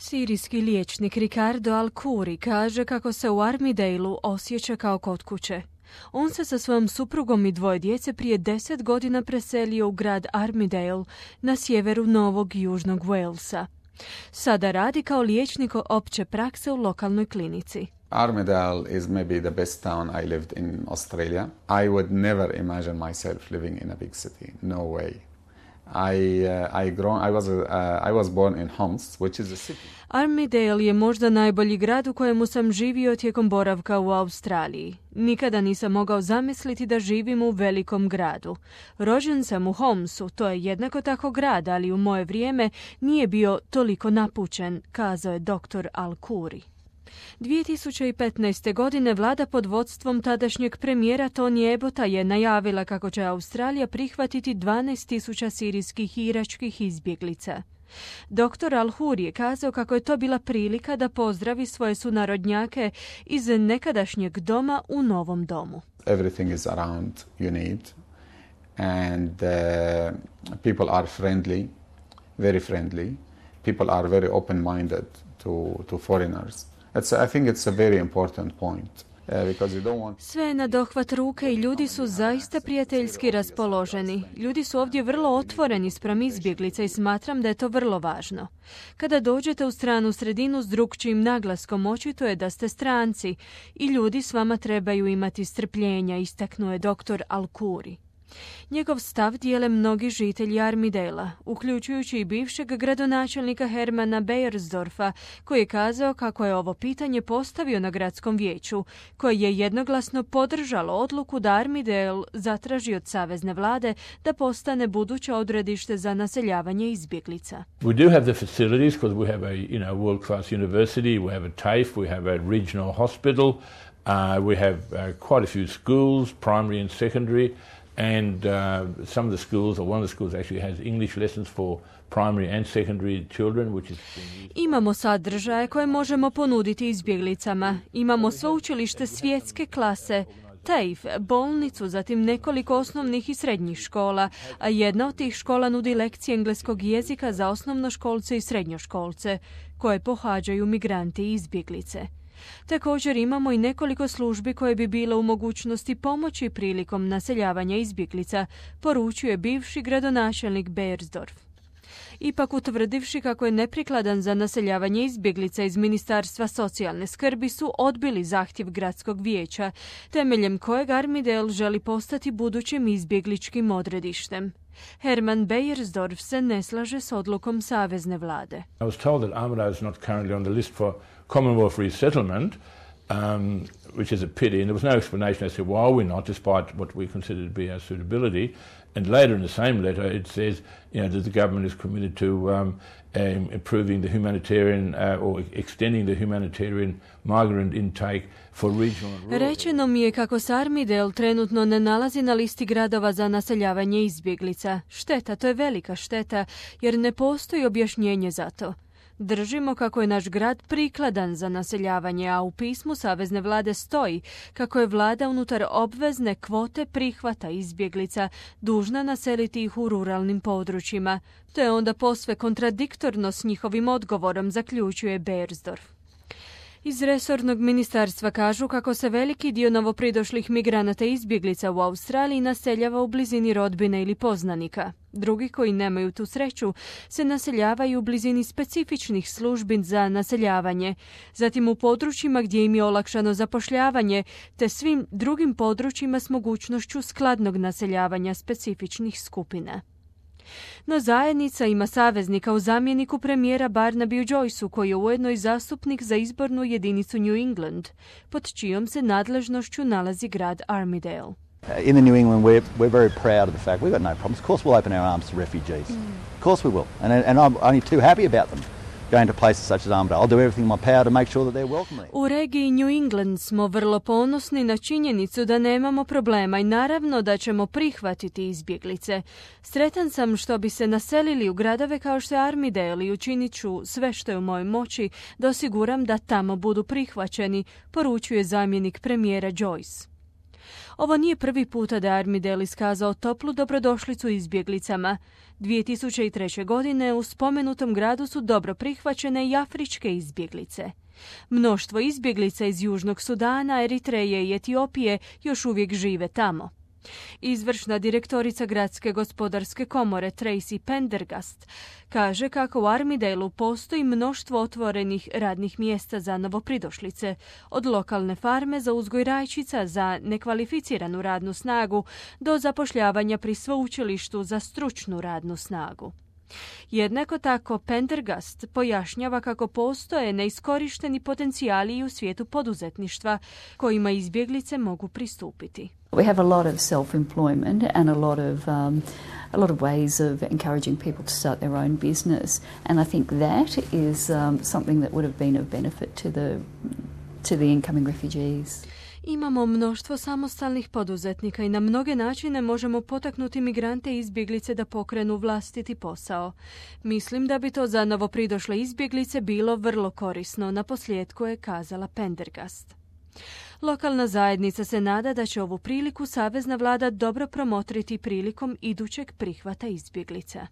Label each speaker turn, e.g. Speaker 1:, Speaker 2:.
Speaker 1: Sirijski liječnik Ricardo Al-Kuri kaže kako se u Armidale-u osjeća kao kod kuće. On se sa svojom suprugom i dvoje djece prije 10 godina preselio u grad Armidale na sjeveru Novog Južnog Walesa. Sada radi kao liječnik opće prakse u lokalnoj klinici.
Speaker 2: Armidale is maybe the best town I lived in Australia. I would never imagine myself living in a big city. No way. I was born in Homs, which is a city.
Speaker 1: Armidale je možda najbolji grad u kojemu sam živio tijekom boravka u Australiji. Nikada nisam mogao zamisliti da živim u velikom gradu. Rođen sam u Homsu, to je jednako tako grad, ali u moje vrijeme nije bio toliko napučen, kazao je dr. Al-Kuri. 2015. godine vlada pod vodstvom tadašnjeg premijera Tony Abbotta je najavila kako će Australija prihvatiti 12.000 sirijskih i iračkih izbjeglica. Dr. Al-Kuri je kazao kako je to bila prilika da pozdravi svoje sunarodnjake iz nekadašnjeg doma u novom domu.
Speaker 2: Everything is around you need and people are friendly, very friendly. People are very open-minded to foreigners. I think it's a very important point.
Speaker 1: Sve je na dohvat ruke i ljudi su zaista prijateljski raspoloženi. Ljudi su ovdje vrlo otvoreni spram izbjeglica i smatram da je to vrlo važno. Kada dođete u stranu sredinu s drukčijim naglaskom, očito je da ste stranci i ljudi s vama trebaju imati strpljenja, istaknuo je dr. Al-Kuri. Njegov stav dijele mnogi žitelji Armidale-a, uključujući i bivšeg gradonačelnika Hermana Beiersdorfa, koji je kazao kako je ovo pitanje postavio na gradskom vijeću, koje je jednoglasno podržalo odluku da Armidale zatraži od savezne vlade da postane buduće odredište za naseljavanje izbjeglica.
Speaker 3: We do have the facilities because we have a world-class university, we have a TAFE, we have a regional hospital, we have quite a few schools, primary and secondary. And some of the schools, or one of the schools actually has English lessons for primary and secondary children, which is...
Speaker 1: Imamo sadržaje koje možemo ponuditi izbjeglicama. Imamo sveučilište svjetske klase, TAFE, bolnicu, zatim nekoliko osnovnih i srednjih škola, a jedna od tih škola nudi lekcije engleskog jezika za osnovnoškolce i srednjoškolce, koje pohađaju migranti i izbjeglice. Također imamo i nekoliko službi koje bi bile u mogućnosti pomoći prilikom naseljavanja izbjeglica, poručuje bivši gradonačelnik Beiersdorf. Ipak, utvrdivši kako je neprikladan za naseljavanje izbjeglica iz Ministarstva socijalne skrbi, su odbili zahtjev gradskog vijeća, temeljem kojeg Armidale želi postati budućim izbjegličkim odredištem. Herman Beiersdorf se ne slaže s odlukom savezne vlade.
Speaker 3: I was told that Armidale is not currently on the list for Commonwealth resettlement, which is a pity, and there was no explanation as to why we're not, despite what we consider to be our suitability. And later in the same letter it says, that the government is committed to improving the humanitarian or extending the humanitarian migrant intake for regional and rural.
Speaker 1: Rečeno mi je kako se Armidale trenutno ne nalazi na listi gradova za naseljavanje izbjeglica. Šteta, to je velika šteta, jer ne postoji objašnjenje za to. Držimo kako je naš grad prikladan za naseljavanje, a u pismu savezne vlade stoji kako je vlada unutar obvezne kvote prihvata izbjeglica dužna naseliti ih u ruralnim područjima. To je onda posve kontradiktorno s njihovim odgovorom, zaključuje Beiersdorf. Iz resornog ministarstva kažu kako se veliki dio novopridošlih migranata i izbjeglica u Australiji naseljava u blizini rodbine ili poznanika. Drugi koji nemaju tu sreću se naseljavaju u blizini specifičnih službi za naseljavanje, zatim u područjima gdje im je olakšano zapošljavanje, te svim drugim područjima s mogućnošću skladnog naseljavanja specifičnih skupina. No zajednica ima saveznika u zamjeniku premijera Barnabyu Joyceu, koji je ujedno i zastupnik za izbornu jedinicu New England, pod čijom se nadležnošću nalazi grad Armidale.
Speaker 4: In the New England, we're very proud of the fact we've got no problems. Of course we'll open our arms to refugees. Of course we will. And I'm only too happy about them going to places such as Armidale. I'll do everything in my power to make sure that they're welcome there.
Speaker 1: U regiji New England smo vrlo ponosni na činjenicu da nemamo problema i naravno da ćemo prihvatiti izbjeglice. Sretan sam što bi se naselili u gradove kao što je Armidale i učinit ću sve što je u mojoj moći da osiguram da tamo budu prihvaćeni, poručuje zamjenik premijera Joyce. Ovo nije prvi puta da je Armidale iskazao toplu dobrodošlicu izbjeglicama. 2003. godine u spomenutom gradu su dobro prihvaćene i afričke izbjeglice. Mnoštvo izbjeglica iz Južnog Sudana, Eritreje i Etiopije još uvijek žive tamo. Izvršna direktorica Gradske gospodarske komore Tracy Pendergast kaže kako u Armidaleu postoji mnoštvo otvorenih radnih mjesta za novopridošlice, od lokalne farme za uzgoj rajčica za nekvalificiranu radnu snagu do zapošljavanja pri sveučilištu za stručnu radnu snagu. Jednako tako Pendergast pojašnjava kako postoje neiskorišteni potencijali i u svijetu poduzetništva kojima izbjeglice mogu pristupiti.
Speaker 5: We have a lot of self-employment and a lot of ways of encouraging people to start their own business, and I think that is something that would have been of benefit to the incoming refugees.
Speaker 1: Imamo mnoštvo samostalnih poduzetnika i na mnoge načine možemo potaknuti migrante i izbjeglice da pokrenu vlastiti posao. Mislim da bi to za novopridošle izbjeglice bilo vrlo korisno, naposljetku je kazala Pendergast. Lokalna zajednica se nada da će ovu priliku savezna vlada dobro promotriti prilikom idućeg prihvata izbjeglica.